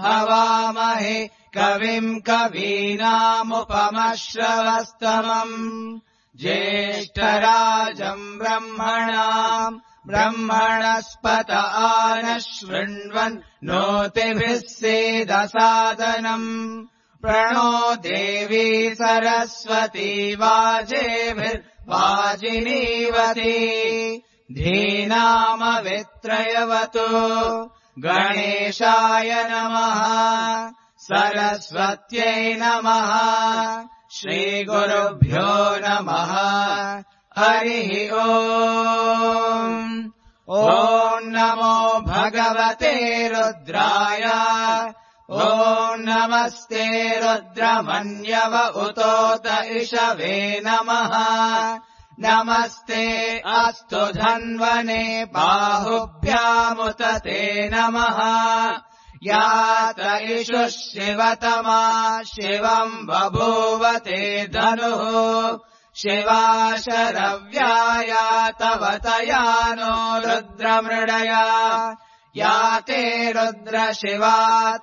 हवामहे कविम् कवीनामुपमश्रवस्तमम् ज्येष्ठराजम् ब्रह्मणस्पत आनशृण्वन् नोतिभिः सीदसादनम् प्रणो देवी सरस्वती वाजेभिर्वाजिनीवती धीनामवित्रयवतु गणेशाय नमः सरस्वत्यै नमः श्रीगुरुभ्यो नमः हरिः ओम् ॐ नमो भगवते रुद्राय ॐ नमस्ते रुद्रमन्यव उतोत इषवे नमः नमस्ते अस्तु धन्वने बाहुभ्यामुत ते नमः यात इषुः शिवतमा शिवम् बभूवते धनुः शिवा शरव्याया तव तयानो रुद्रमृडया याते रुद्र शिवा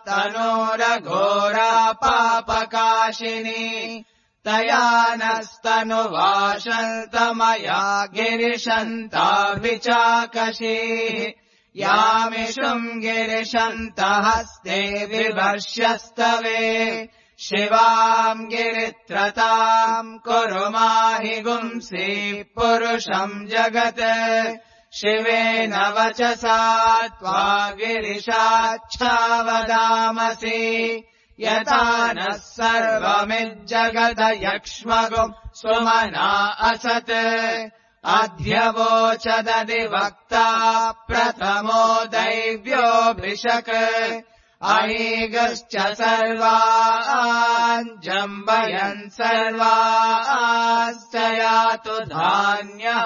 तनोरघोरा पापकाशिनी तया नस्तनुवाशन्तमया गिरिशन्ताभिचाकशी यामिषुम् गिरिशन्तहस्ते विवर्ष्यस्तवे शिवाम् गिरित्रताम् कुरु माहि गुंसि पुरुषम् जगत् शिवेन वचसा त्वा गिरिशाच्छावदामसि यथा नः सर्वमिज्जगदयक्ष्मगुम् सुमना असत् अध्यवोचदधिवक्ता प्रथमो दैव्योऽभिषक् अहीगश्च सर्वान् जम्बयन् सर्वाश्च यातु धान्यः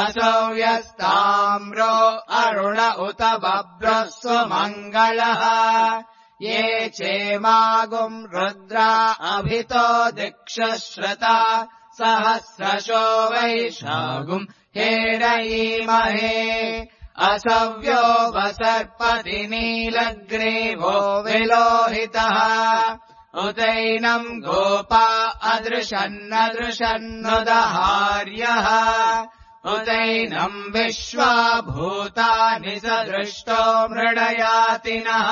असौ यस्ताम्रो अरुण उत बभ्रः सुमङ्गलः ये चेमागुम् रुद्रा अभितो दिक्षश्रता सहस्रशो वैशागुम् हेरयीमहे असव्यो वसर्पति नीलग्रीवो विलोहितः उतैनम् गोपा अदृशन्नदृशन्नुदहार्यः उतैनम् विश्वा भूतानि सदृष्टो मृडयातिनः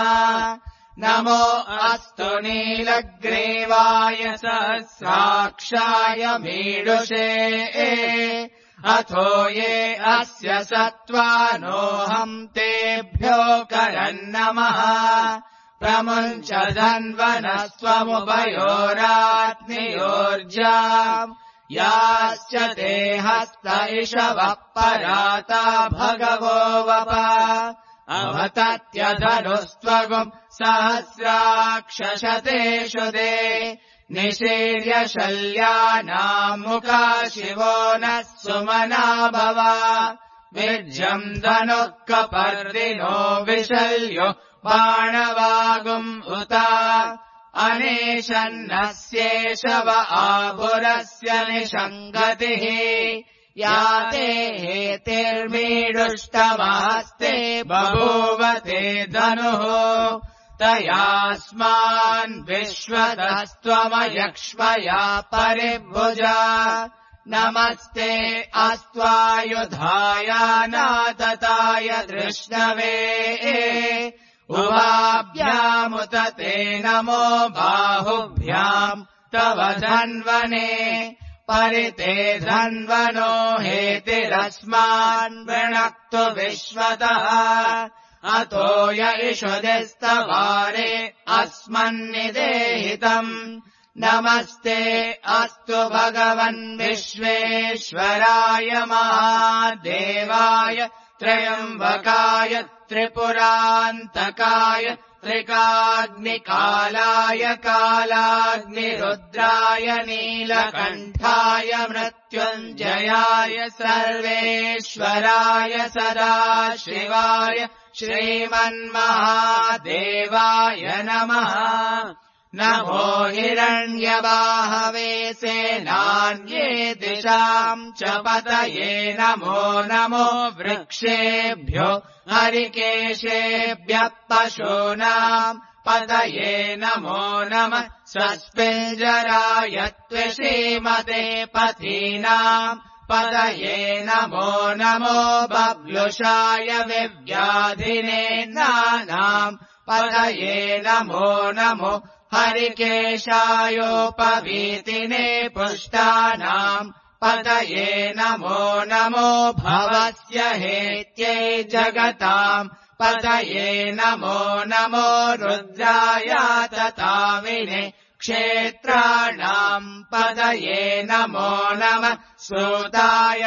नमो अस्तु नीलग्रीवाय सहस्राक्षाय मीडुषे अथो ये अस्य सत्त्वानोऽहम् तेभ्यो करन्नमः प्रमुञ्च धन्वनस्त्वमुभयोरात्मयोर्जाम् याश्च ते हस्त इषवः पराता भगवो वप अवतत्यधनुस्त्वगुम् सहस्राक्षशतेषु दे निशीर्य शल्यानाम् मुखा शिवो नः सुमना भव विर्जम् धनुः कपर्दिनो विशल्यो बाणवागुम् उता अनेशन्नस्येषव आभुरस्य निषङ्गतिः याते हेतिर्मीडुष्टमहस्ते बभूवते धनुः तयास्मान् विश्वतस्त्वमयक्ष्मया परिभुजा नमस्ते अस्त्वायुधायानातताय धृष्णवे उभाभ्यामुत ते नमो बाहुभ्याम् तव धन्वने परिते धन्वनो हेतिरस्मान् वृणक्तु विश्वतः अतो य इषुदिस्तवारे अस्मन्निदेहितम् नमस्ते अस्तु भगवन् विश्वेश्वराय महादेवाय त्र्यम्बकाय त्रिपुरान्तकाय त्रिकाग्निकालाय कालाग्निरुद्राय नीलकण्ठाय मृत्युञ्जयाय सर्वेश्वराय सदाशिवाय श्रीमन्महादेवाय नमः नमो हिरण्यबाहवे सेनान्ये दिशाम् च पतये नमो नमो वृक्षेभ्यो हरिकेशेभ्यः पशूनाम् पतये नमो नमः स्वस्पिञ्जराय त्वसीमते पथीनाम् पतये नमो नमो बब्लुषाय विव्याधिने नानाम् पतये नमो नमो हरिकेशायोपवीतिने पुष्टानाम् पतये नमो नमो भवस्य हेत्यै जगताम् पतये नमो नमो रुद्राय तताविने क्षेत्राणाम् पतये नमो नमः श्रोताय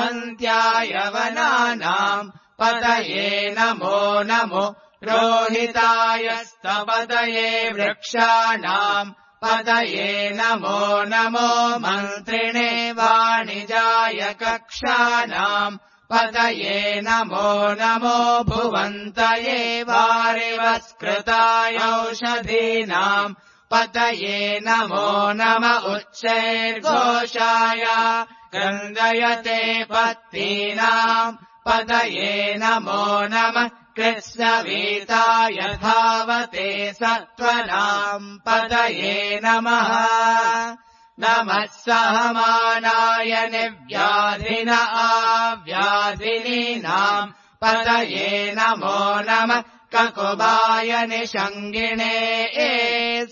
हन्त्याय वनानाम् पतये नमो नमो रोहिताय स्तपतये वृक्षाणाम् पतये नमो नमो मन्त्रिणे वाणिजाय कक्षाणाम् पतये नमो नमो भुवन्तये वारिवस्कृताय औषधीनाम् पतये नमो नम उच्चैर्घोषाय क्रन्दयते पत्नीनाम् पतये नमो नमः कृष्णवीताय धावते सत्त्वनाम् पतये नमः नमः सहमानाय निव्याधिन आव्याधिनीनाम् पतये नमो नमः ककुबाय निषङ्गिणे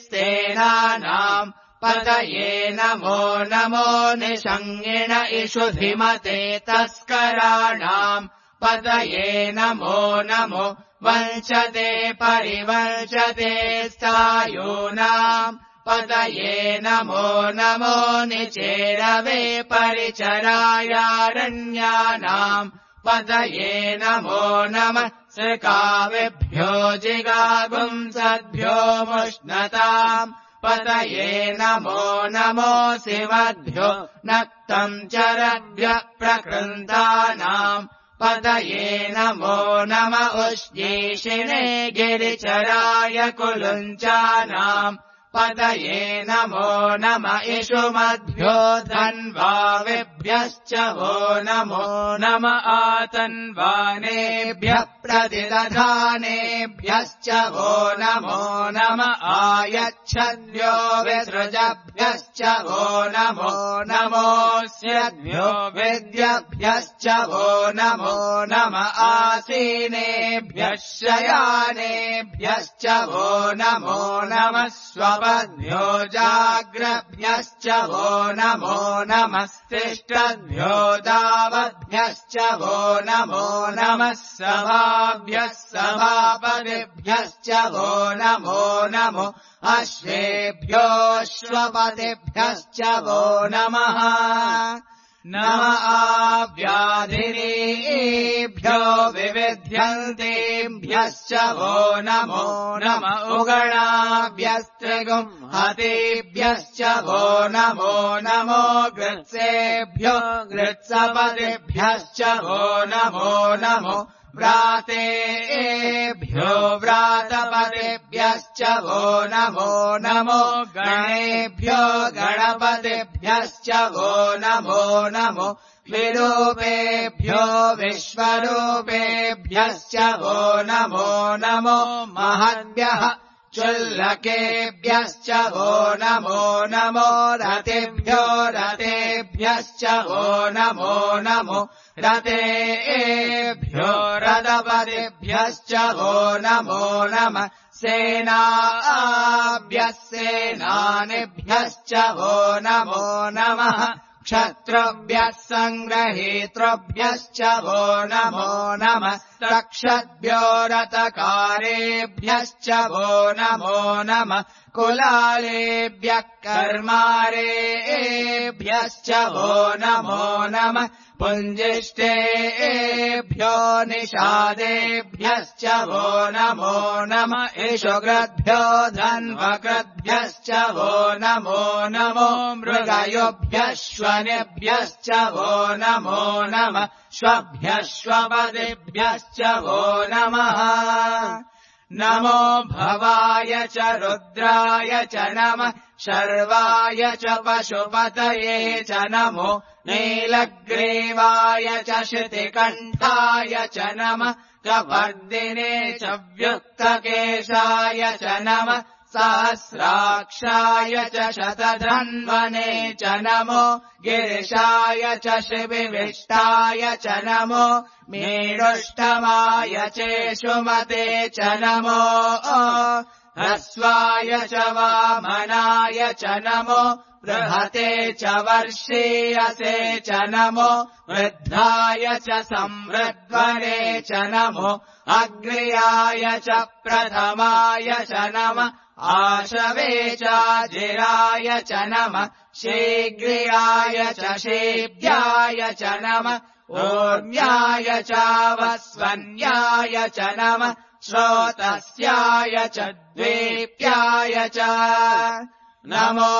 सेनानाम् पतये नमो नमो निषङ्गिण इषुधिमते तस्कराणाम् पतये नमो नमो वञ्चते परिवञ्चते स्थायूनाम् पतये नमो नमो निचेरवे परिचरायारण्यानाम् पतये नमो नमः सृकाविभ्यो जिगागुंसद्भ्यो मुष्णताम् पतये नमो नमो शिवद्भ्यो नक्तम् चरद्भ्यः प्रकृन्तानाम् पतये नमो नम उष्णीषिणे गिरिचराय कुलुञ्चानाम् पतये नमो नम इषुमद्भ्यो धन्वाविभ्यश्च वो नमो नम आतन्वानेभ्यः प्रतिदधानेभ्यश्च वो नमो नम आयच्छद्भ्यो विसृजभ्यश्च वो नमो नमोऽस्यद्भ्यो विद्यभ्यश्च वो नमो नम आसीनेभ्यः शयानेभ्यश्च वो नमो नमः स्वपद्भ्यो जाग्रभ्यश्च वो नमो नमस्तिष्ठद्भ्यो दावद्भ्यश्च वो नमो नमः सभाभ्यः सभापतिभ्यश्च वो नमो नमो अश्वेभ्योऽश्वपतिभ्यश्च वो नमः नम आव्याधिनीभ्यो विविध्यन्तेभ्यश्च वो नमो नम उगणाभ्यस्त्रिगुंहतेभ्यश्च वो नमो नमो गृत्सेभ्यो गृत्सपतिभ्यश्च वो नमो नमो व्रातेभ्यो व्रातपतिभ्यश्च वो नमो नमो गणेभ्यो गणपतिभ्यश्च वो नमो नमो विरूपेभ्यो विश्वरूपेभ्यश्च वो नमो नमो महद्भ्यः चुल्लकेभ्यश्च वो नमो नमो रतेभ्यो रतेभ्यश्च वो नमो नमो रतेभ्यो रथपतिभ्यश्च वो नमो नमः सेनाभ्यः सेनानिभ्यश्च वो नमो नमः क्षत्रुभ्यः सङ्ग्रहीतृभ्यश्च वो नमो नमः रक्षद्भ्यो रथकारेभ्यश्च वो नमो नमः कुलालेभ्यः कर्मारेभ्यश्च वो नमो नमः पुञ्जिष्टेभ्यो निषादेभ्यश्च वो नमो नमः इषुकृद्भ्यो धन्वकृद्भ्यश्च वो नमो नमो मृगयोभ्यश्वनेभ्यश्च वो नमो नमः श्वभ्यश्वपतिभ्यश्च वो नमः नमो भवाय च रुद्राय च नमः शर्वाय च पशुपतये च नमो नीलग्रीवाय च श्रुतिकण्ठाय च नमः कपर्दिने च व्युक्तकेशाय च नमः सहस्राक्षाय च शतधन्वने च नमो गिरिशाय च शिविविष्टाय च नमो मीडुष्टमाय चेषुमते च नमो ह्रस्वाय च वामनाय च नमो बृहते च वर्षीयसे च नमो वृद्धाय च संवृद्ध्वने च नमो अग्र्याय च प्रथमाय च नमः आशवे चाजिराय च नमः शीघ्रियाय च शीभ्याय च नमः ऊर्म्याय चावस्वन्याय च नमः श्रोतस्याय च द्वीप्याय च नमो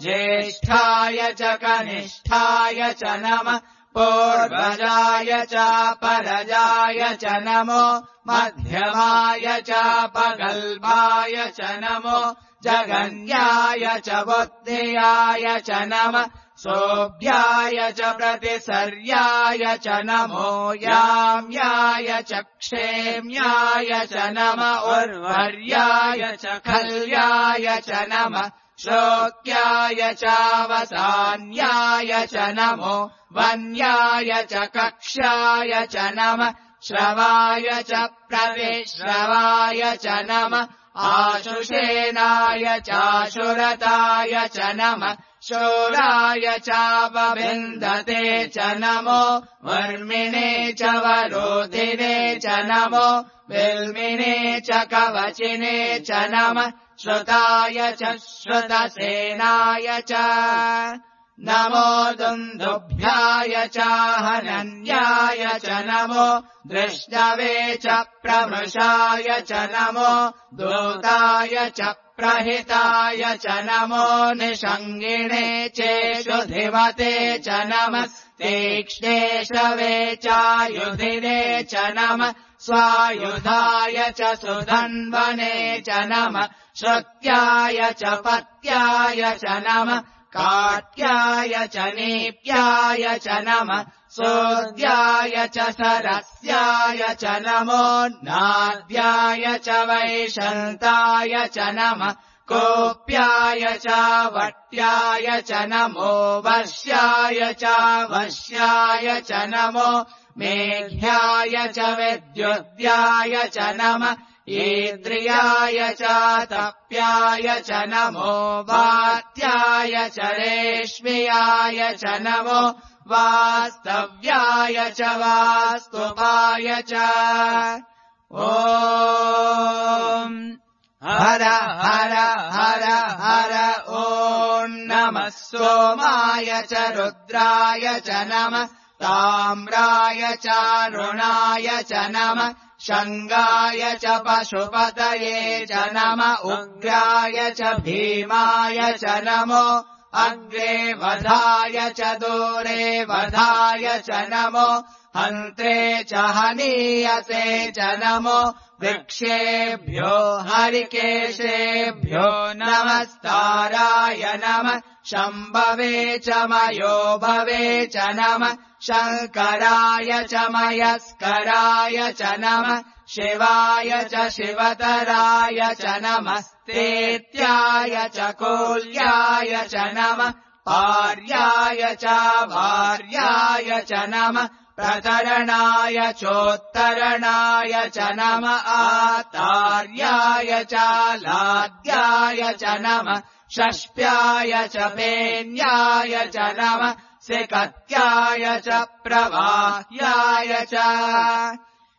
ज्येष्ठाय च कनिष्ठाय च नमः पूर्वजाय च परजाय च नमो मध्यमाय च पगल्भाय च नमो जगन्याय च बुद्धियाय च नमः सोऽभ्याय च प्रतिसर्याय च नमो याम्याय च क्षेम्याय च नमः उर्वर्याय च खल्याय च नमः श्लोक्याय चावसान्याय च नमो वन्याय च कक्ष्याय च नमः श्रवाय च प्रतिश्रवाय च नमः आशुषेनाय चाशुरताय च नमः शूराय चापविन्दते च नमो वर्मिणे च वरोधिने च नमो बिल्मिने च कवचिने च नमः श्रुताय च श्रुतसेनाय च नमो दुन्दुभ्याय चाहनन्याय च नमो दृष्टवे च प्रमृषाय च नमो दूताय च प्रहिताय च नमो निषङ्गिणे चेषुधिमते च नमः तीक्ष्णेशवे चायुधिने च नमः स्वायुधाय च सुधन्वने च नमः श्रुत्याय च पत्याय च नमः काट्याय च नीप्याय च नमः सोऽद्याय च सरस्याय च नमो नाद्याय च वैशन्ताय च नमः कोप्याय च वट्याय च नमो वश्याय च वश्याय च नमो मेघ्याय च विद्युद्याय च नमः ईद्रियाय च तप्याय च नमो वात्याय च रेश्म्याय च नमो वास्तव्याय च वास्तुपाय च ॐ हर हर हर हर ॐ नमः सोमाय च रुद्राय च नमः ताम्राय चारुणाय च नमः शङ्गाय च पशुपतये च नमः उग्राय च भीमाय च नमो अग्रे वधाय च दूरे वधाय च नमो हन्त्रे च हनीयसे च नमो वृक्षेभ्यो हरिकेशेभ्यो नमस्ताराय नमः शम्भवे च मयोभवे च नमः शङ्कराय च मयस्कराय च नमः शिवाय च शिवतराय च नमस्तेत्याय च कोल्याय च नमः पार्याय च भार्याय च नमः प्रतरणाय चोत्तरणाय च नमः आतार्याय च लाद्याय च नमः षष्प्याय च पेन्याय च नमः सिकत्याय च प्रवाह्याय च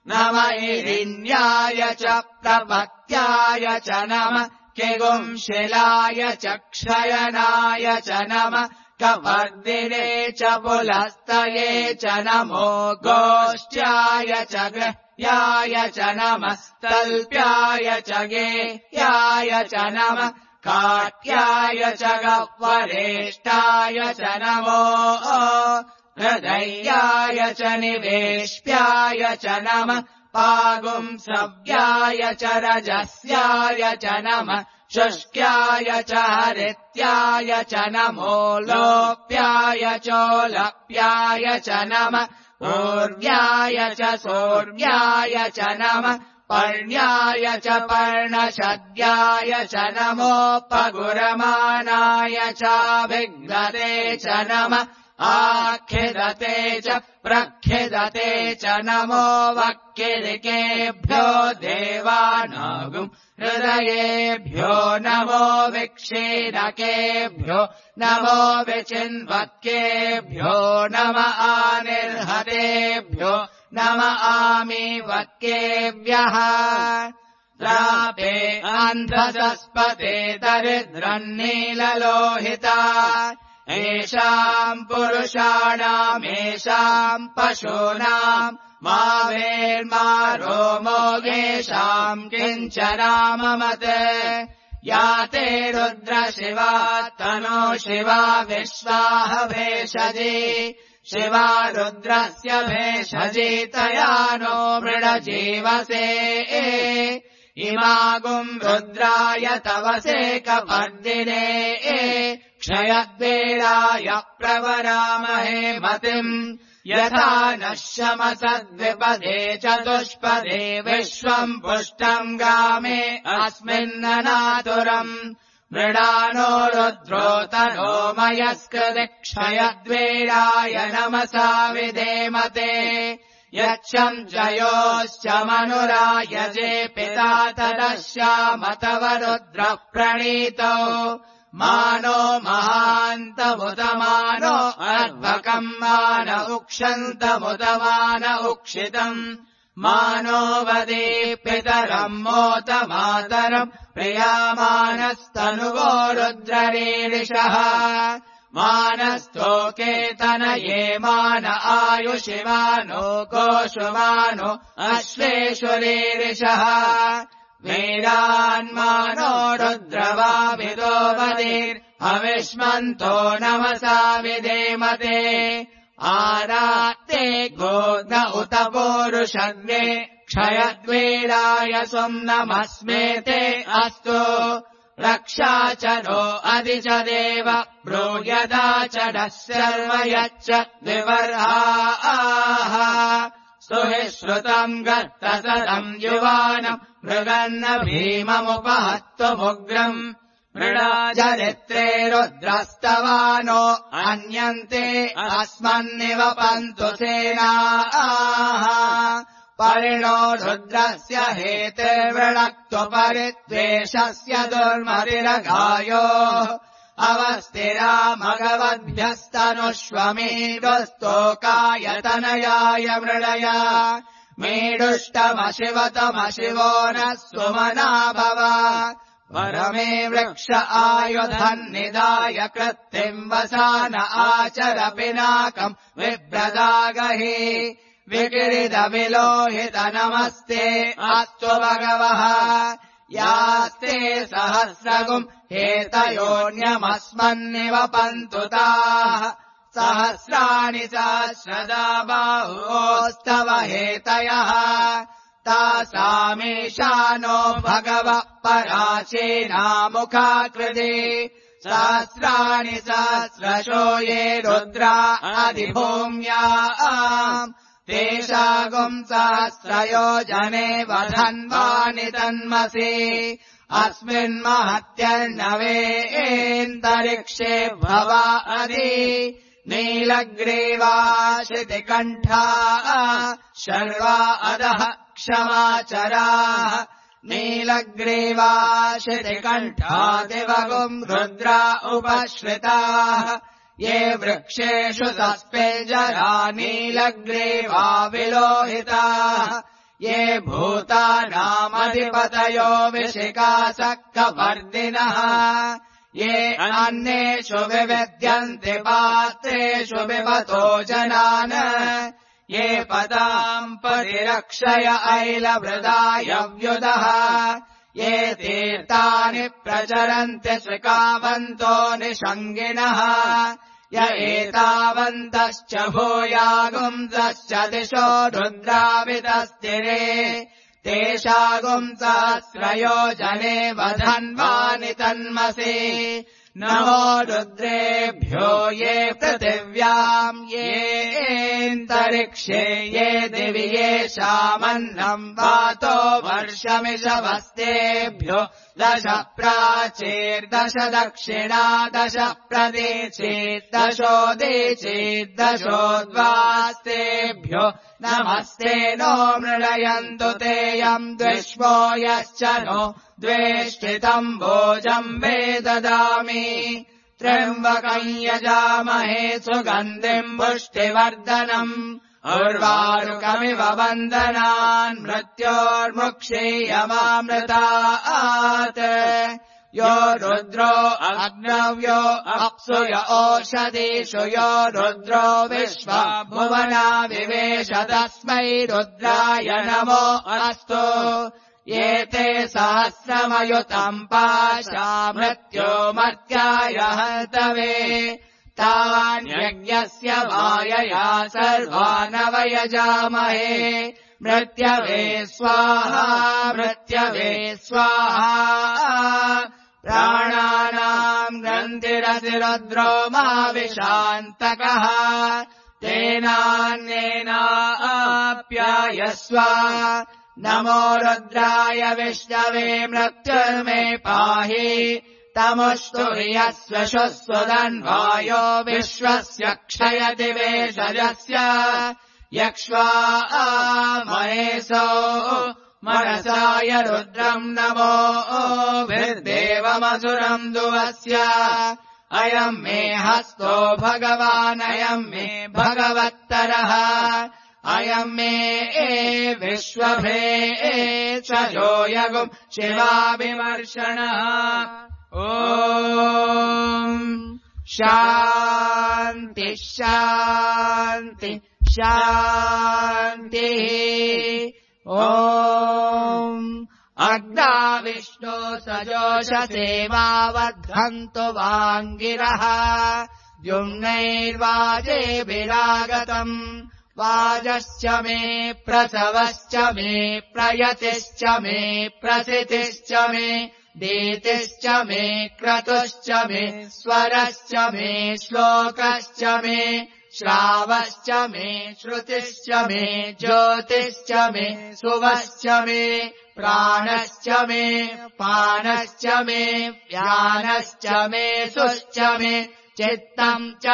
नमः इरिन्याय च प्रपत्याय च नमः किगुंशिलाय च क्षयनाय च नमः कपर्दिने च पुलस्तये च नमो गोष्ट्याय च गृह्याय च नमः तल्प्याय च गेह्याय च नमः काट्याय च गह्वरेष्ठाय च नमो हृदयाय च निवेश्याय च नमः पागुंसव्याय च रजस्याय च नमः शुष्क्याय च हरित्याय च नमो लोप्याय चोलप्याय च नमः ऊर्व्याय च सूर्व्याय च नमः पर्ण्याय च पर्णशद्याय च नमोपगुरमाणाय चाभिघ्नते च नमः आखिदते च प्रखिदते च नमो वक्किलिकेभ्यो देवानागुम् हृदयेभ्यो नमो विक्षीणकेभ्यो नमो विचिन्वत्केभ्यो नम आनिर्हतेभ्यो नम आमीवत्केभ्यः रापे अन्धसस्पते दरिद्रन्नीललोहिता येषाम् पुरुषाणामेषाम् पशूनाम् मा वेर्मा रोमो येषाम् किञ्चनाममत् या ते रुद्रशिवा तनो शिवा विश्वाह भेषजी शिवा रुद्रस्य भेषजी तया नो मृडजीवसे इमागुम् रुद्राय तवसे कपर्दिने क्षयद्वेलाय प्रवरामहे मतिम् यथा नः शमसद्विपदे चतुष्पदे विश्वम् पुष्टम् गामे अस्मिन्ननातुरम् मृडानो रुद्रोतनो मयस्कृति क्षयद्वेलाय नमसा विधेमते यच्छम् जयोश्च मनुरायजे पिता तदश्यामतव रुद्रः प्रणीतो मानो महान्तमुदमानो अर्भकम् मान उक्षन्तमुदमान उक्षितम् मानो वदे पितरम् मोत मातरम् प्रियामानस्तनुवो रुद्ररीरिषः मानस्तोकेतनये मान आयुषिमानो गोषुमानो अश्वेषुरीरिषः वीरान्मानो रुद्रवाविदो वदेर्हविष्मन्तो नमसा विधेमते आरात्ते गोग्न उत पूरुषग्ने क्षयद्वेलाय स्वम् नमस्मेते अस्तु रक्षा च नो अधि च देव ब्रूयदा च नः सर्व यच्च विवर्हाः स्तुहि श्रुतम् गर्तसदम् युवानम् मृगन्न भीममुपहत्वमुग्रम् मृडाचरित्रे रुद्रस्तवानो अन्यन्ते अस्मन्निव पन्तु सेनाः परिणो रुद्रस्य हेतिर्वृणक्त्वपरिद्वेषस्य दुर्मतिरघायो अवस्थिरा मघवद्भ्यस्तनुष्वमेडुस्तोकायतनयाय मृडया मेडुष्टमशिवतमशिवो नः सुमना भव परमे वृक्ष आयुधन्निदाय कृत्तिम् वसान आचर पिनाकम् विभ्रदागहि विकिरिदविलोहित नमस्ते अस्तु भगवः यास्ते सहस्रगुम् हेतयोऽन्यमस्मन्निव पन्तु ताः सहस्राणि सहस्रदा बाहोस्तव हेतयः तासामीशानो भगवः पराचीनामुखाकृति सहस्राणि सहस्रशो ये रुद्रा अधिभूम्याम् तेषागुम् सहस्रयोजने वधन्वानि तन्मसि अस्मिन्महत्यर्णवेऽन्तरिक्षे भवा अधि नीलग्रीवाशितिकण्ठा शर्वा अधः क्षमाचराः नीलग्रीवाशितिकण्ठा दिवगुम् रुद्रा उपश्रिताः ये वृक्षेषु सस्पेजरा नीलग्रीवा विलोहिताः ये भूतानामधिपतयो विशिखासक्कवर्दिनः ये अन्येषु विविद्यन्ति पात्रेषु विवतो जनान् ये पदाम् परिरक्षय ऐलवृदायव्युदः ये तीर्थानि प्रचरन्ति श्रिकावन्तो निषङ्गिणः य एतावन्तश्च भूयागुंसश्च दिशो रुद्रावितस्तिरे तेषागुंसहस्रयोजने वधन्वानि तन्मसि नमो रुद्रेभ्यो ये पृथिव्याम् येऽन्तरिक्षे ये दिवि येषामन्नम् वातो वर्षमिषवस्तेभ्यो दश प्राचीर्दश दक्षिणा दश प्रतीचीर्दशोदीचीर्दशोद्वास्तेभ्यो नमस्ते नो मृळयन्तु तेऽयम् द्विष्वो यश्च नो द्वेष्टितम् भोजम् मे ददामि त्र्यम्बकम् यजामहे सुगन्धिम् पुष्टिवर्धनम् उर्वारुकमिव वन्दनान् मृत्योर्मुक्षीयमामृतात् यो रुद्रो अग्नव्यो अप्सुय ओषधीषु यो रुद्रो विश्वभुवना विवेश तस्मै रुद्राय नमो अस्तु एते सहस्रमयुतम् पाशा मृत्यो मर्त्याय हन्तवे तान्यज्ञस्य वायया सर्वानवयजामहे मृत्यवे स्वाहा मृत्यवे स्वाहा प्राणानाम् ग्रन्थिरसिरुद्रोमाविशान्तकः तेनान्येनाप्यायस्व नमो रुद्राय विष्णवे मृत्युर्मे पाहि तमुष्टु यस्व शुस्वदन्वायो विश्वस्य क्षयति वेषजस्य यक्ष्वा महेशो मनसाय रुद्रम् नमो भिर्देवमसुरम् दुवस्य अयम् मे हस्तो भगवानयम् मे भगवत्तरः अयम् मे विश्वभे चजो यगुम् शिवाभिमर्शनः ॐ शान्ति शान्ति शान्तिः ॐ अग्ना विष्णो सजोषसेवावद्धन्तु वाङ्गिरः द्युम्नैर्वाजेभिरागतम् वाजश्च मे प्रसवश्च मे प्रयतिश्च मे प्रसितिश्च मे दीतिश्च मे क्रतुश्च मे स्वरश्च मे श्लोकश्च मे श्रावश्च मे श्रुतिश्च मे ज्योतिश्च मे सुवश्च मे प्राणश्च मे पानश्च मे व्यानश्च मे सुश्च मे चित्तम् च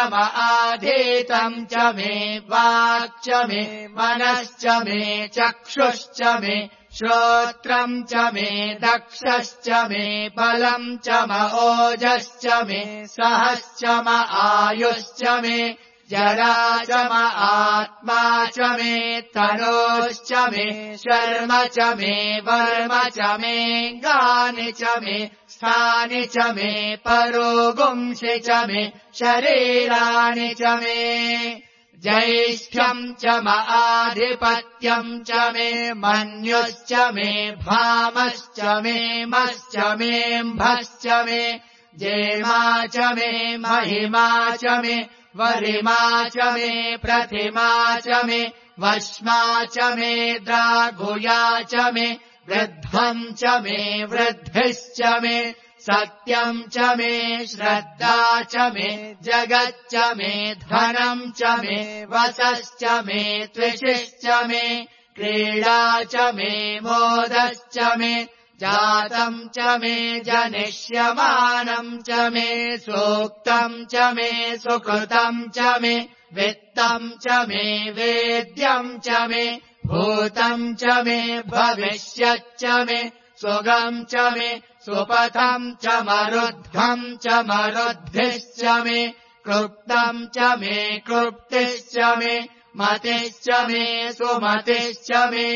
आधीतम् च मे वाक् च मे मनश्च मे चक्षुश्च मे श्रोत्रम् च मे दक्षश्च मे बलम् च ओजश्च मे सहश्च आयुश्च मे जरा च आत्मा च मे तनोश्च मे शर्म च मे वर्म च मे गानि च मे स्थानि च मे परोगुंसि च मे शरीराणि च मे ज्यैष्ठ्यम् च आधिपत्यम् च मे मन्युश्च मे भामश्च मे मश्च मेऽम्भश्च मे जेमा च मे महिमा च मे वरिमा च मे प्रतिमा च मे वश्मा च मे द्रागुया च मे वृद्धम् च मे वृद्धिश्च मे सत्यम् च मे श्रद्धा च मे जगच्च मे धनम् च मे वसश्च मे त्विषिश्च मे क्रीडा च मे मोदश्च मे जातम् च मे जनिष्यमानम् च मे सूक्तम् च मे सुकृतम् च मे वित्तम् च मे वेद्यम् च मे भूतम् च मे भविष्यच्च मे सुगम् च मे सुपथम् च मरुद्धम् च मरुद्भिश्च मे क्लुप्तम् च मे क्लुप्तिश्च मे मतिश्च मे सुमतिश्च मे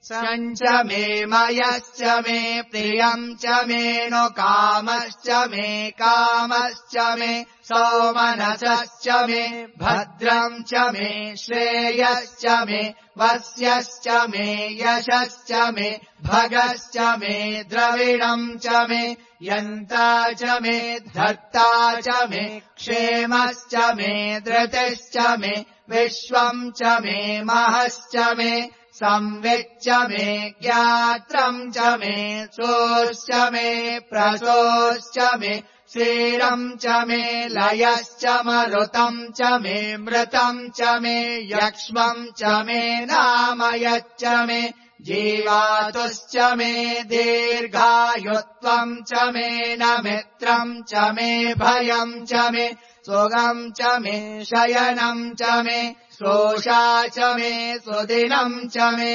सञ्च मे मयश्च मे प्रियम् च मे नु कामश्च मे कामश्च मे सौमनसश्च मे भद्रम् च मे श्रेयश्च मे वस्यश्च मे यशश्च मे भगश्च मे द्रविणम् च मे यन्ता च मे धर्ता च मे क्षेमश्च मे धृतिश्च मे विश्वम् च मे महश्च मे संविच्च मे ज्ञात्रम् च मे सोश्च मे प्रसोश्च मे क्षीरम् च मे लयश्च मरुतम् च मे मृतम् च मे यक्ष्मम् च मे नामयच्च मे जीवातुश्च मे दीर्घायुत्वम् च मे न मित्रम् च मे भयम् च मे सुगम् च मे शयनम् च मे शोषा च मे सुदिनम् च मे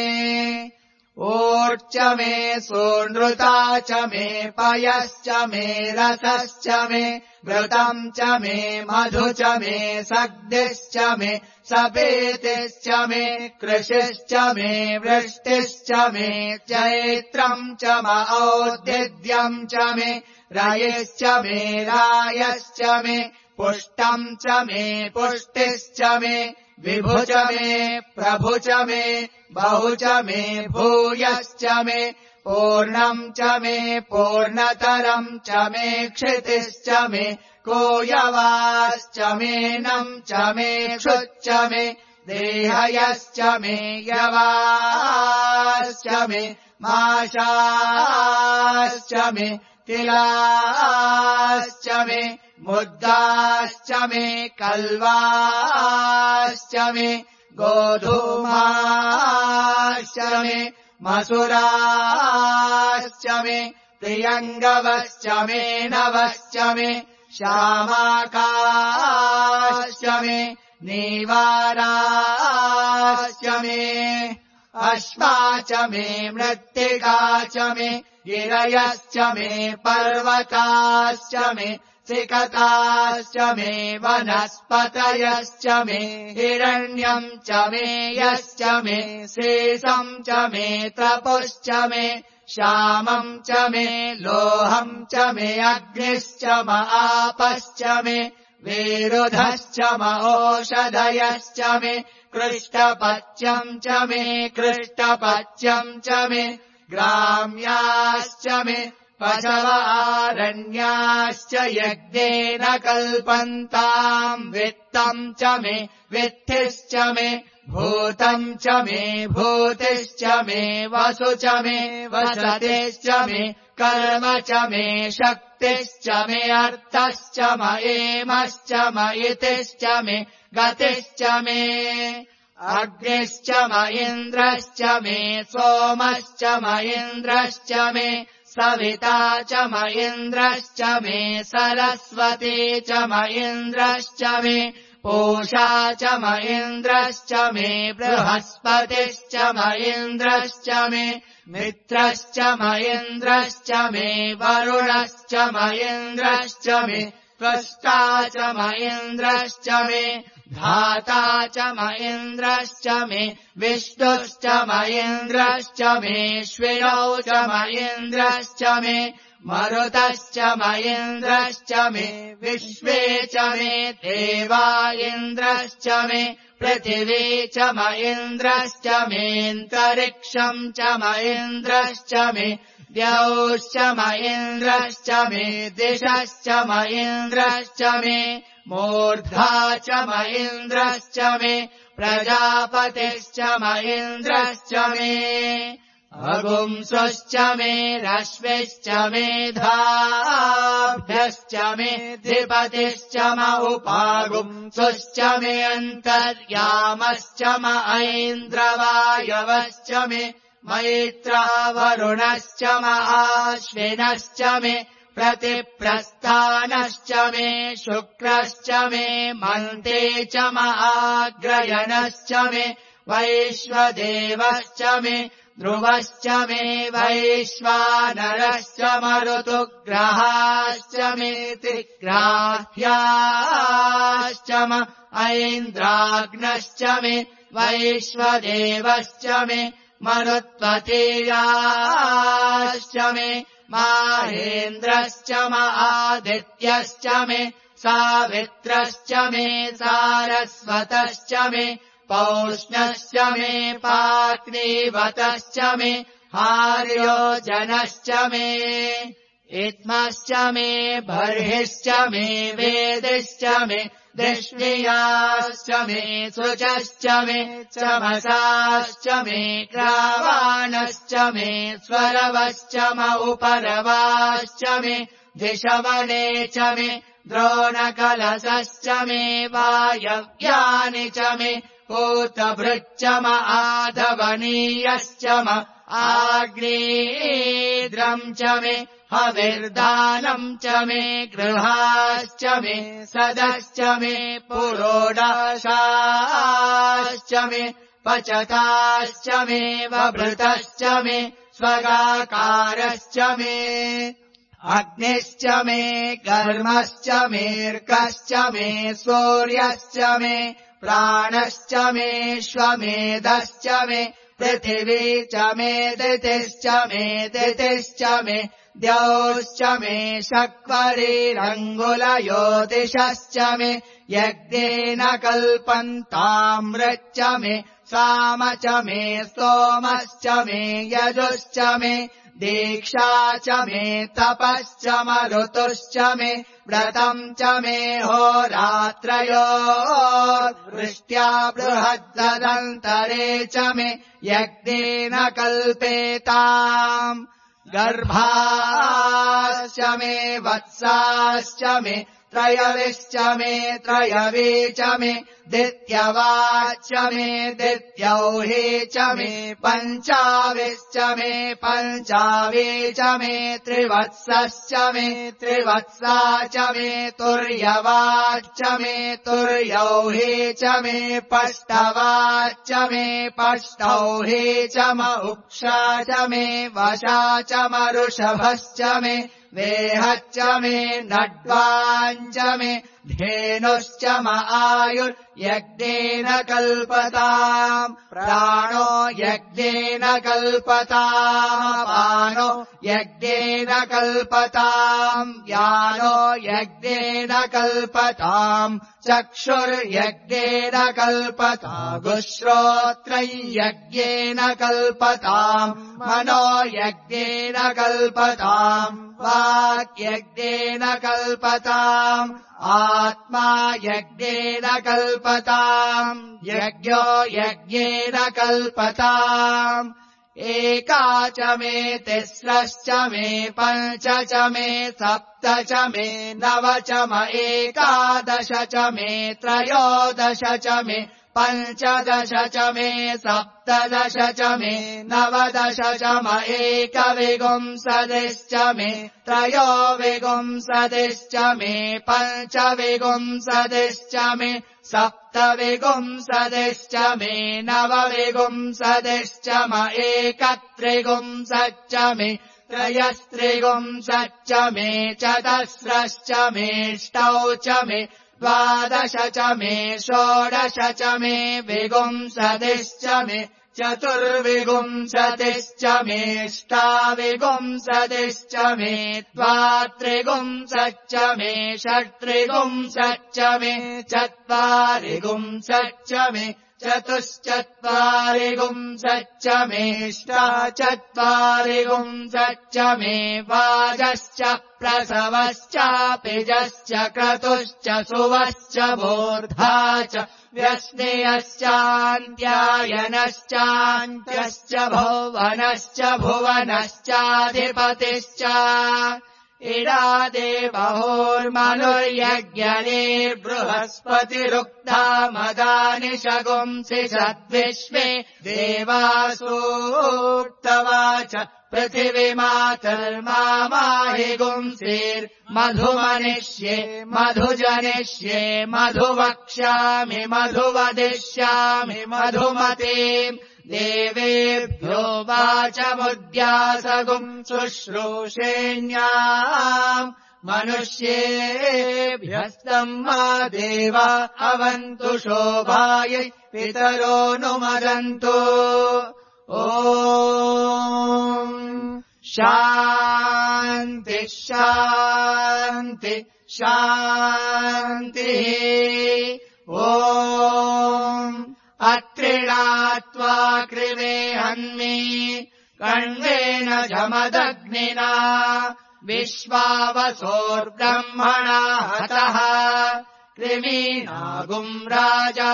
ऊर्च मे सूनृता च मे पयश्च मे रसश्च मे घृतम् च मे मधु च मे सग्धिश्च मे सपेतिश्च मे कृषिश्च मे वृष्टिश्च मे चैत्रम् च औद्यद्यम् च मे रयिश्च मे रायश्च मे पुष्टम् च मे पुष्टिश्च मे विभु च मे प्रभु च मे बहु च मे भूयश्च मे पूर्णम् च मे पूर्णतरम् च मे क्षितिश्च मे कोयवाश्च मे नम् च मे क्षुच्च मे देहयश्च मे यवाश्च मे माशाश्च मे तिलाश्च मे मुद्दाश्च मे कल्वाश्च मे गोधूमाश्च मे मसुराश्च मे प्रियङ्गवश्च मे नवश्च मे श्यामाकाश्च मे नीवाराश्च मे अश्वा च मे मृत्तिका च मे गिरयश्च मे पर्वताश्च मे सिकताश्च मे वनस्पतयश्च मे हिरण्यम् च मे यश्च मे शेषम् च मे तपुश्च मे श्यामम् च मे लोहम् च मे अग्निश्च म आपश्च मे विरुधश्च म ओषधयश्च मे कृष्टपच्यम् च मे कृष्टपच्यम् च मे ग्राम्याश्च मे पशवारण्याश्च यज्ञेन कल्पन्ताम् वित्तम् च मे वित्तिश्च मे भूतम् च मे भूतिश्च मे वसु च मे वसतिश्च मे कर्म च मे शक्तिश्च मे अर्थश्च म एमश्च म इतिश्च मे गतिश्च मे अग्निश्च म इन्द्रश्च मे सोमश्च म इन्द्रश्च मे सविता च म इन्द्रश्च मे सरस्वती च म इन्द्रश्च मे पूषा च म इन्द्रश्च मे बृहस्पतिश्च म इन्द्रश्च मे मित्रश्च म इन्द्रश्च मे वरुणश्च म इन्द्रश्च मे त्वष्टा च म इन्द्रश्च मे धाता च म इन्द्रश्च मे विष्णुश्च म इन्द्रश्च मे श्विनौ च म इन्द्रश्च मे मरुतश्च म इन्द्रश्च मे विश्वे च मे देवा इन्द्रश्च मे पृथिवी च म इन्द्रश्च मेऽन्तरिक्षम् च म इन्द्रश्च मे द्यौश्च म इन्द्रश्च मे दिशश्च म इन्द्रश्च मे मूर्धा च म इन्द्रश्च मे प्रजापतिश्च म इन्द्रश्च मे अगुंसुश्च मे रश्मिश्च मे धाभ्यश्च मे धिपतिश्च म उपागुंसुश्च मे अन्तर्यामश्च म ऐन्द्रवायवश्च मे मैत्रावरुणश्च म आश्विनश्च मे प्रतिप्रस्थानश्च मे शुक्रश्च मे मन्ते च म आग्रयणश्च मे वैश्वदेवश्च मे ध्रुवश्च मे वैश्वानरश्च मरुतुग्रहाश्च मे त्रिग्राह्याश्च म ऐन्द्राग्नश्च मे वैश्वदेवश्च मे मरुत्वतीयाश्च मे माहेन्द्रश्च आदित्यश्च मे सावित्रश्च मे सारस्वतश्च मे पौष्णश्च मे पाग्नीवतश्च मे हार्योजनश्च मे इत्मश्च मे बर्हिश्च मे वेदिश्च मे दृष्णियाश्च मे सुचश्च मे चमसाश्च मे ग्रावाणश्च मे स्वरवश्च उपरवाश्च मे दिशवने च मे द्रोणकलशश्च मे वायव्यानि च मे कूतभृच्च आधवनीयश्च आग्नेयेन्द्रम् च मे हविर्दानम् च मे गृहाश्च मे सदश्च मे पुरोडाशाश्च मे पचताश्च मे वभृतश्च मे स्वगाकारश्च मे अग्निश्च मे कर्मश्च मेऽर्कश्च मे सूर्यश्च मे प्राणश्च मे श्वमेधश्च मे पृथिवी च मे दितिश्च मे दितिश्च मे द्यौश्च मे शक्वरीरङ्गुलयोतिषश्च मे यज्ञेन कल्पन्तामृच्च मे साम च मे सोमश्च मे यजुश्च मे दीक्षा च मे तपश्च मरुतुश्च मे व्रतम् च मे होरात्रयोर्वृष्ट्या बृहद्दन्तरे च मे यज्ञेन कल्पेताम् गर्भाश्च मे वत्साश्च मे त्रयविश्च मे त्रयवी च मे दित्यवाच्च मे दित्यौहे च मे पञ्चाविश्च मे पञ्चावी च मे त्रिवत्सश्च मे त्रिवत्सा च मे तुर्यवाच्च मे तुर्यौहे च मे पष्टवाच्च मे पष्टौहे च उक्षा च मे वशा च मरुषभश्च मे वेहच्च मे नड्वाञ्च मे धेनुश्च आयुर्यज्ञेन कल्पताम् प्राणो यज्ञेन कल्पताम् पानो यज्ञेन कल्पताम् यानो यज्ञेन कल्पताम् चक्षुर्यज्ञेन कल्पताम् श्रोत्रयज्ञेन कल्पताम् मनो यज्ञेन कल्पताम् वाक्यज्ञेन कल्पताम् आत्मा यज्ञेन कल्पताम् यज्ञो यज्ञेन कल्पताम् एका च मे तिस्रश्च मे पञ्च च मे सप्त च मे नव च एकादश च मे त्रयोदश च मे पञ्चदश च मे सप्तदश च मे नवदश च एकविंशतिश्च मे त्रयोविंशतिश्च मे पञ्चविंशतिश्च मे सप्तविंशतिश्च मे नवविंशतिश्च एकत्रिंशच्च मे त्रयस्त्रिंशच्च मे चतस्रश्च मेष्टौ च मे द्वादश च मे षोडश च मे विंशतिश्च मे चतुर्विंशतिश्च मेष्टाविंशतिश्च मे द्वात्रिंशच्च मे षट्त्रिंशच्च मे चत्वारिंशच्च मे चतुश्चत्वारिंशच्च मेष्टाचत्वारिंशच्च मे वाजश्च प्रसवश्चापिजश्च क्रतुश्च सुवश्च मूर्धा च व्यस्नेयश्चान्त्यायनश्चान्त्यश्च भुवनश्च भुवनश्चाधिपतिश्च इडादे बहोर्मनुर्यज्ञनेर्बृहस्पतिरुक्ता मदानि शगुंसि सद्विश्वे देवासूक्तवाच पृथिवीमातर्माहि गुंसेर्मधुमनिष्ये मधुजनिष्ये मधुवक्ष्यामि मधुवदिष्यामि मधुमते देवेभ्यो वाचमुद्यासगुम् शुश्रूषेण्याम् मनुष्येभ्यस्तम् मा देवा अवन्तु शोभायै पितरो नुमदन्तु ॐ शान्ति शान्ति शान्तिः ॐ अत्रिणात्वा कृवे हन्मि कण्वेन जमदग्निना विश्वावसोर्ब्रह्मणा हतः कृमीनागुम् राजा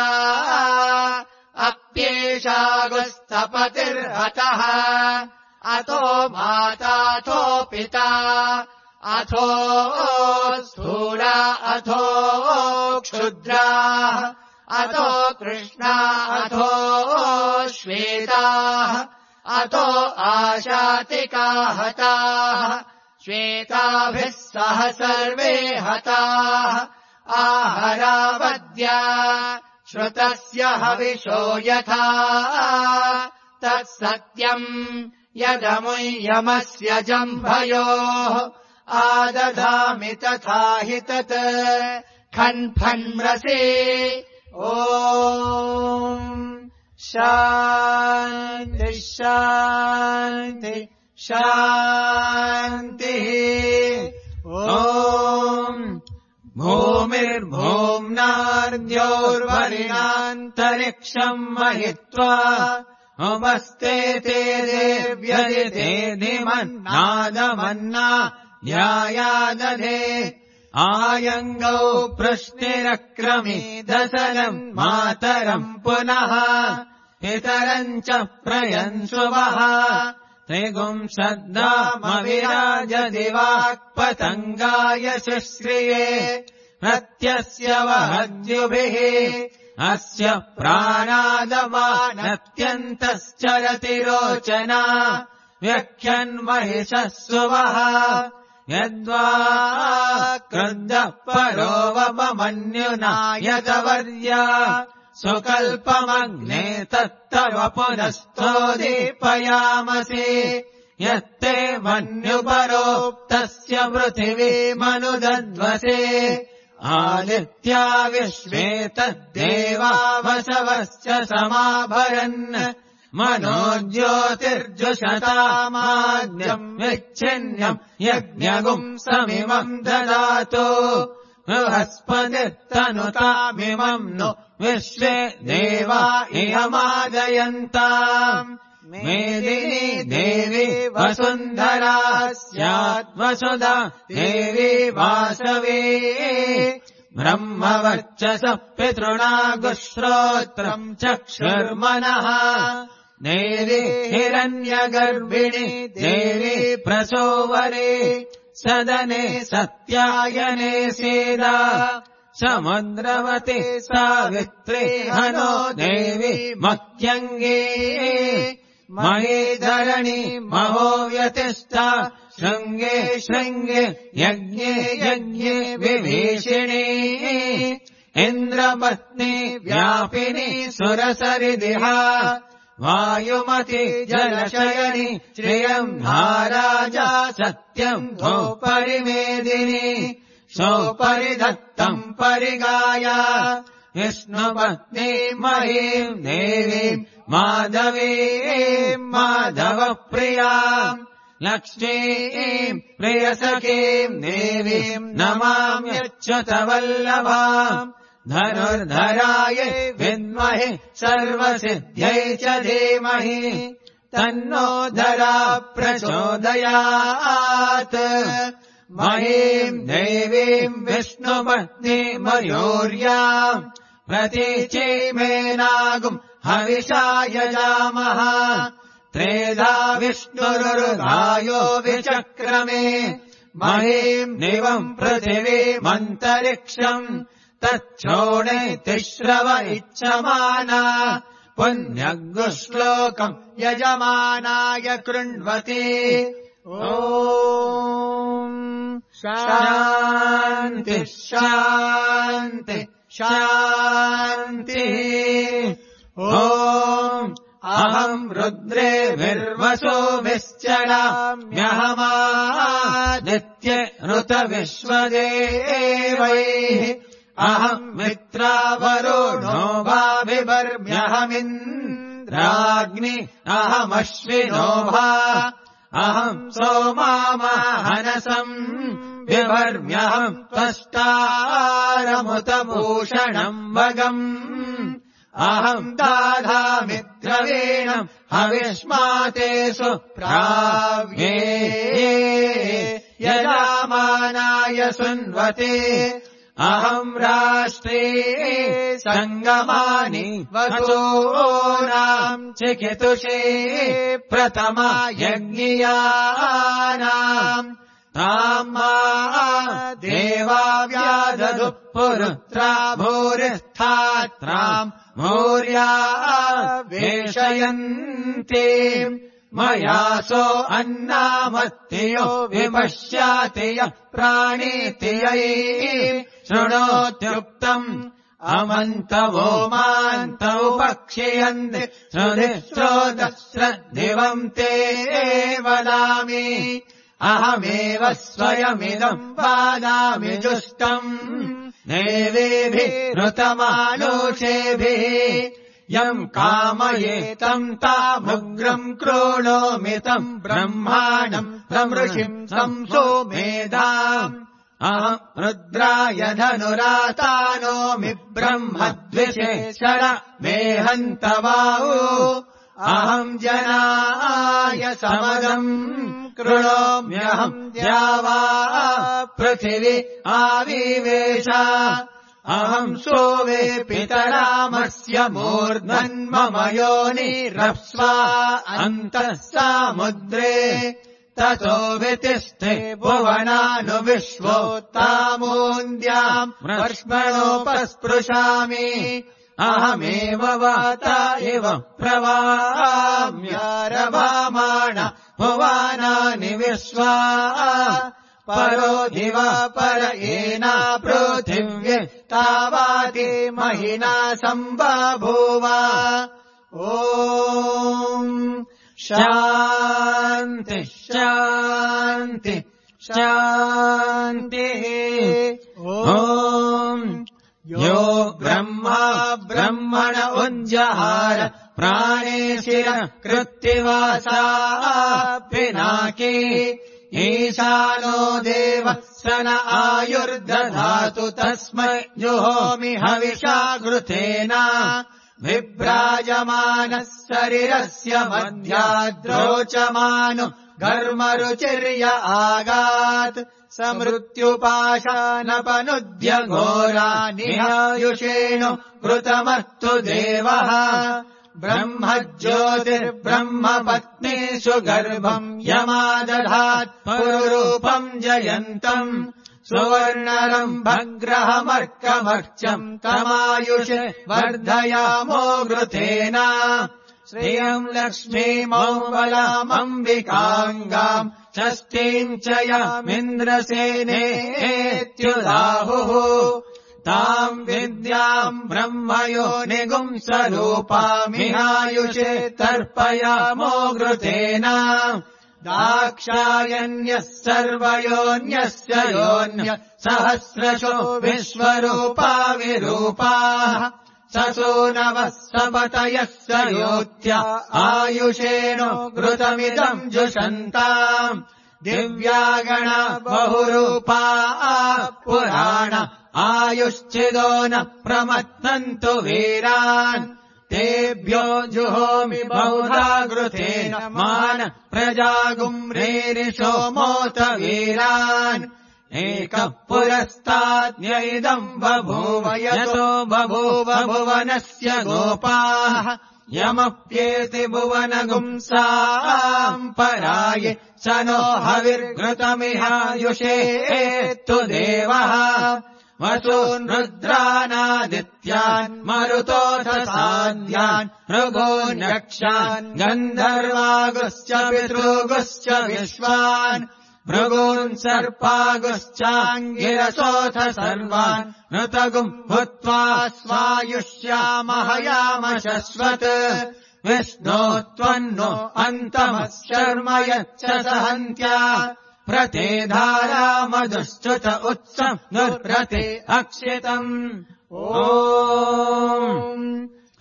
अप्येषागुस्तपतिर्हतः अतो माताथो पिता अथो स्थूला अथो क्षुद्रा अतो कृष्णा अथो श्वेताः अतो आशातिका हताः श्वेताभिः सह सर्वे हताः आहरावद्या श्रुतस्य हविषो यथा तत्सत्यम् यदमुह्यमस्य जम्भयोः आदधामि तथा हि तत् खन्फन्मृषे ॐ शान्ति शान्ति शान्तिः ॐ भूमिर्भूम्नार्द्योर्वरिणान्तरिक्षम् महित्वा उमस्ते ते देव्यदितेधिमन्नादमन्ना ध्यायादधे आयङ्गौ पृष्टिरक्रमीदसलम् मातरम् पुनः पितरम् च प्रयन्सुवः त्रिगुंसद्दामविराजदिवाक्पतङ्गाय शुश्रिये प्रत्यस्य वहद्युभिः अस्य प्राणादमानत्यन्तश्चरति रोचना व्यख्यन्महिषः सुवः यद्वा क्रुद्धः परोवमन्युना यदवर्या सुकल्पमग्ने तत्तव पुनस्तोदीपयामसि यत्ते मन्युपरोक्तस्य पृथिवीमनुदध्वसे आदित्या विश्वे तद्देवा वसवश्च समाभरन् मनोज्योतिर्जुषतामाद्यम् विच्छिन्नम् यज्ञगुम् समिमम् ददातु बृहस्पतिर्तनुतामिमम् नु विश्वे देवा इयमादयन्ताम् मेदिनी देवी वसुन्धरा स्याद्वसुधा देवी वासवी ब्रह्मवर्चसः पितृणागुश्रोत्रम् चक्षुर्मनः देवी हिरण्यगर्भिणी देवी प्रसोवरे सदने सत्यायने सीदा समुद्रवती सावित्री हनो देवी मह्यङ्गी महीधरणी महो व्यतिष्ठा शृङ्गे शृङ्गे यज्ञे यज्ञे विभीषिणी इन्द्रपत्नी व्यापिनी सुरसरिदिहा वायुमती जलशयनी श्रियम् महाराजा सत्यम् धोपरिमेदिनी सोपरिधत्तम् परिगाया विष्णुपत्नी महीम् देवीम् माधवीम् माधवप्रियाम् लक्ष्मीम् प्रियसखीम् देवीम् नमाम्यच्युतवल्लभाम् धनुर्धराय विद्महे सर्वसिद्ध्यै च धीमहि तन्नो धरा प्रचोदयात् महीम् देवीम् विष्णुपत्नी मयूर्याम् प्रतीचीमेनागुम् हविषा यजामः त्रेधा विष्णुरुर्गायो विचक्रमे महीम् दिवम् पृथिवीमन्तरिक्षम् तच्छोणे तिश्रव इच्छमाना पुण्यगुश्लोकम् यजमानाय कृण्वति ॐ शान्ति शान्ति शान्तिः ॐ अहम् रुद्रे विर्वसोभिश्चराम्यहमादित्य ऋतविश्वदेवैः अहम् मित्रावरुणो भाविवर्म्यहमिन्द्र राज्ञि अहमश्विनोभा अहम् सोमामहनसम् विभर्म्यहम् त्वष्टारमुतभूषणम् वगम् अहम् दाधामिद्रवीणम् हविष्मातेषु प्राव्ये यजामानाय सुन्वते अहम् राष्ट्रे सङ्गमानि वसूनाम् चिकितुषे प्रथमा यज्ञियानाम् ताम् देवा व्यादधु पुरुत्रा भूरिस्थात्राम् भूर्या वेशयन्ति मयासो अन्नामत्तियो विपश्यातिय प्राणीतियै शृणोत्युक्तम् अमन्तवो मान्तौ पक्षयन्ति श्रुतिश्रोतश्रद्दिवम् ते वदामि अहमेव स्वयमिदम् वादामि जुष्टम् देवेभिरुतमालोषेभिः यम् कामयेतम् तामुग्रम् क्रोणोमितम् ब्रह्माणम् प्रमृषिम् संसोमेधाम् अहम् रुद्राय धनुरातानोमि ब्रह्मद्विषेषण मेहन्तवाऊ अहम् जनाय समगम् कृणोम्यहम् द्यावा पृथिवी आविवेश अहम् सोवे पितरामस्य मूर्धन्मम योनिरप्स्वा अन्तः समुद्रे ततो वितिष्ठे भुवनानुविश्वोत्तामून्द्याम् वर्ष्मणोपस्पृशामि अहमेव वाता इव प्रवाम्यारभामाण भुवनानि विश्वा परो दिव पर येना पृथिव्ये तावाति महिना सम्बभूव ॐ शान्ति शान्ति शान्तिः ॐ यो ब्रह्मा ब्रह्मण उज्जहार प्राणेशिर कृत्तिवासा पिनाकी ईशानो देवः सन आयुर्दधातु तस्मै जुहोमि हविषा घृतेन विभ्राजमानः शरीरस्य मध्याद्रोचमानो घर्मरुचिर्य आगात् समृत्युपाशानपनुद्य घोरानिहायुषेणो कृतमस्तु देवः ब्रह्मज्योतिर्ब्रह्मपत्नीषु गर्भम् यमादधात् पुरुरूपम् जयन्तम् सुवर्णरम्भग्रहमर्कमर्चम् तमायुषे वर्धयामो घृतेन श्रियम् लक्ष्मीमौबलामम्बिकाङ्गाम् षष्ठीम् च यमिन्द्रसेनेत्युदाहुः ताम् विद्याम् ब्रह्मयो निगुंसरूपामिहायुषे तर्पयामो घृतेन दाक्षायण्यः सर्वयोऽन्यस्य योऽन्य सहस्रशो विश्वरूपा विरूपाः ससूनवः सपतयः स योत्या आयुषेणो घृतमिदम् जुषन्ताम् दिव्यागणा बहुरूपा पुराण आयुश्चिदो न प्रमत्तन्तु वीरान् तेभ्यो जुहोमि बहुधा घृतेन मान प्रजागुम्रेरिषो मोत वीरान् एकः पुरस्ताद्य इदम् बभूव यतो बभूव भुवनस्य गोपाः यमप्येति भुवनगुंसाम् पराये स नो हविर्घृतमिहायुषेत्तु देवः वसून् रुद्रानादित्यान् मरुतोऽथ साध्यान् भृगून् यक्षान् गन्धर्वागुश्च पितृगुश्च विश्वान् भृगून् सर्पागुश्चाङ्गिरसोऽथ सर्वान् ऋतगुम् भूत्वा स्वायुष्यामहयाम शश्वत् विष्णो त्वन्नो अन्तमः शर्म यच्च सहन्त्या प्रते धारामधुश्च्युत उत्सम् नुरते अक्षितम् ॐ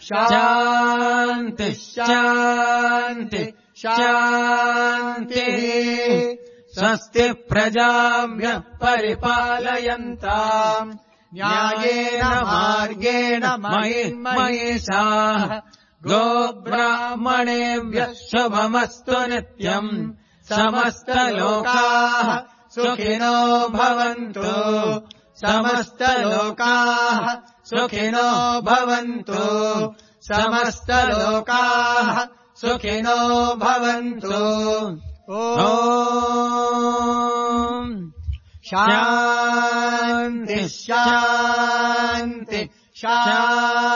शान्तिः शान्तिः शान्तिः स्वस्ति प्रजाभ्यः परिपालयन्ताम् न्यायेन मार्गेण महिषाः गोब्राह्मणेभ्यः शुभमस्तु नित्यम् समस्तलोकाः सुखिनो भवन्तु समस्तलोकाः सुखिनो भवन्तु समस्तलोकाः सुखिनो भवन्तु ॐ शान्तिः शान्तिः शान्तिः